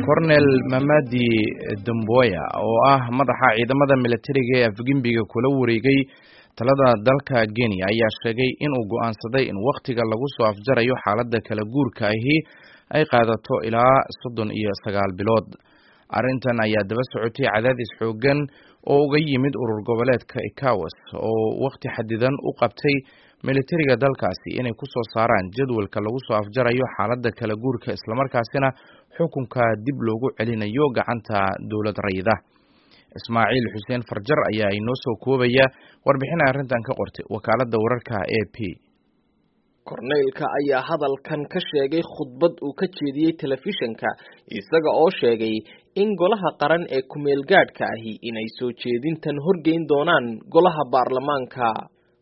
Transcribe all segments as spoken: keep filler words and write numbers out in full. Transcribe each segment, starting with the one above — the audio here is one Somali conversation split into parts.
Kornel Mamadi Doumbouya oo ah madaxa ciidamada militariga ee Afgembiga kula wareegay talada dalka Guinea ayaa sheegay in uu go'aansaday in wakhtiga lagu soo afjarayo xaaladda kala guurka ahi ay qaadato ilaa soddon iyo sagaal bilood. Arrintan ayaa daba socotay cadaadis xooggan oo uga yimid urur goboleedka ECOWAS oo wakhti xadidan u qabtay militariga dalkaasi inay ku soo saaraan jadwalka lagu soo afjarayo xaaladda kala guurka, islamarkaasina xukunka dib loogu celinayo gacanta dowlad rayida. Ismaaciil Xuseen Farjar ayaa inoo soo koobaya warbixin arrintan ka qortay wakaaladda wararka A P. Korneylka ayaa hadalkan ka sheegay khudbad uu ka jeediyey telefishinka, isaga oo sheegay in golaha qaran ee ku-meelgaadhka ahi inay soo jeedintan horgeyn doonaan golaha baarlamaanka.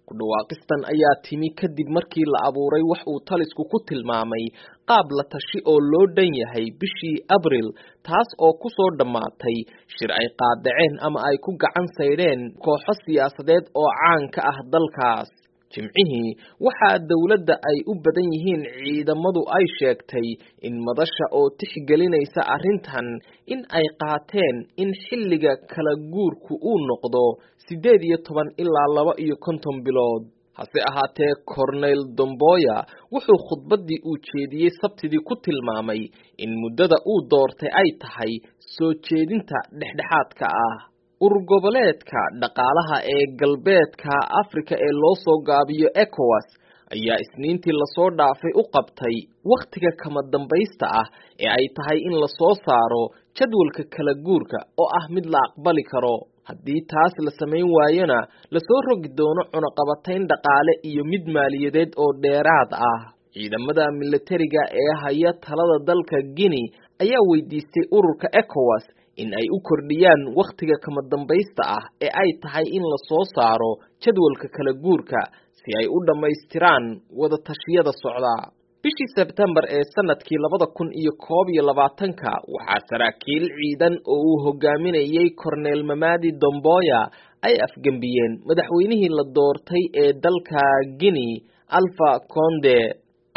Ku dhawaaqistan ayaa timi kadib markii la abuuray wax uu talisku ku tilmaamay qaab la tashi oo loo dhan yahay bishii Abril, taas oo ku soo dhammaatay shir ay qaadaceen ama ay ku gacan saydheen kooxo siyaasadeed oo caan ka ah dalkaas. Jimcihii waxaa dowladda ay u badan yihiin ciidamadu ay sheegtay in madasha oo tixgelinaysa arrintan in ay qaateen in xilliga kala guurku uu noqdo siddeed iyo toban ilaa laba iyo konton bilood. Hase ahaatee, Cornel Doumbouya wuxuu khudbaddii uu jeediyey Sabtidii ku tilmaamay in muddada uu doortay ay tahay soo jeedinta dhexdhexaadka ah. Urur goboleedka dhaqaalaha ee Galbeedka Afrika ee loo soo gaabiyo ECOWAS ayaa Isniintii lasoo dhaafay u qabtay wakhtiga kama dambaysta ah ee ay tahay in lasoo saaro jadwalka kala guurka oo ah mid la aqbali karo. Haddii taas la samayn waayona, lasoo rogi doono cunaqabatayn dhaqaale iyo mid maaliyadeed oo dheeraad ah. Ciidamada militariga ee haya talada dalka Guinea ayaa weydiistay ururka ECOWAS in ay u kordhiyaan wakhtiga kama dambaysta ah ee ay tahay in lasoo saaro jadwalka kala guurka, si ay u dhammaystiraan wada tashiyada socda. Bishii Sebtembar ee sanadkii labada kun iyo koob iyo labaatanka, waxaa saraakiil ciidan oo uu hogaaminayay Cornel Mamadi Doumbouya ay afgembiyeen madaxweynihii la doortay ee dalka Guinea, Alpha Conde.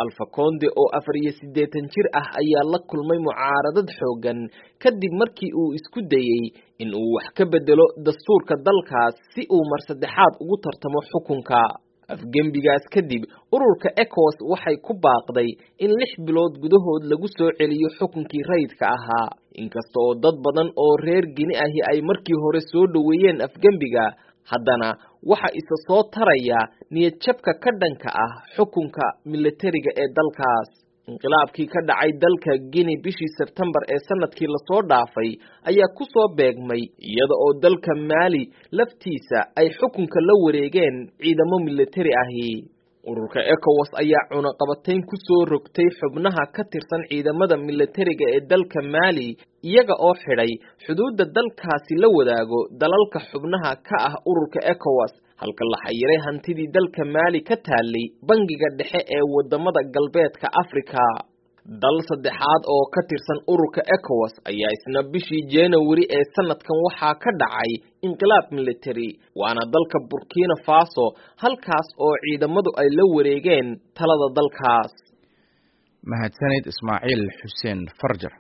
Alpha Conde oo afar iyo siddeetan jir ah ayaa la kulmay mucaaradad xooggan kadib markii uu isku dayey in uu wax ka bedelo dastuurka dalkaas si uu mar saddexaad ugu tartamo xukunka. Afgembigaas kadib, ururka ECOWAS waxay ku baaqday in lix bilood gudahood lagu soo celiyo xukunkii rayidka ahaa. Inkasta oo dad badan oo reer Gini ahi ay markii hore soo dhoweeyeen afgembiga, haddana waxa isa soo taraya niyadjabka ka dhanka ah xukunka militariga ee dalkaas. Inqilaabkii ka dhacay dalka Guinea bishii Sebtembar ee sanadkii lasoo dhaafay ayaa ku soo beegmay iyada oo dalka Maali laftiisa ay xukunka la wareegeen ciidamo militari ahi. Ururka ECOWAS ayaa cunaqabatayn ku soo rogtay xubnaha ka tirsan ciidamada militariga ee dalka Maali, iyaga oo xidhay xuduudda dalkaasi la wadaago dalalka xubnaha ka ah ururka ECOWAS, halka la xayiray hantidii dalka Maali ka taalay Bangiga Dhexe ee wadamada Galbeedka Afrika. Dal saddexaad oo ka tirsan ururka ECOWAS ayaa isna bishii January ee sanadkan waxaa ka dhacay inqilaab military, waana dalka Burkina Faso, halkaas oo ciidamadu ay la wareegeen talada dalkaas. Mahadsanid, Ismaaciil Xuseen Farjar.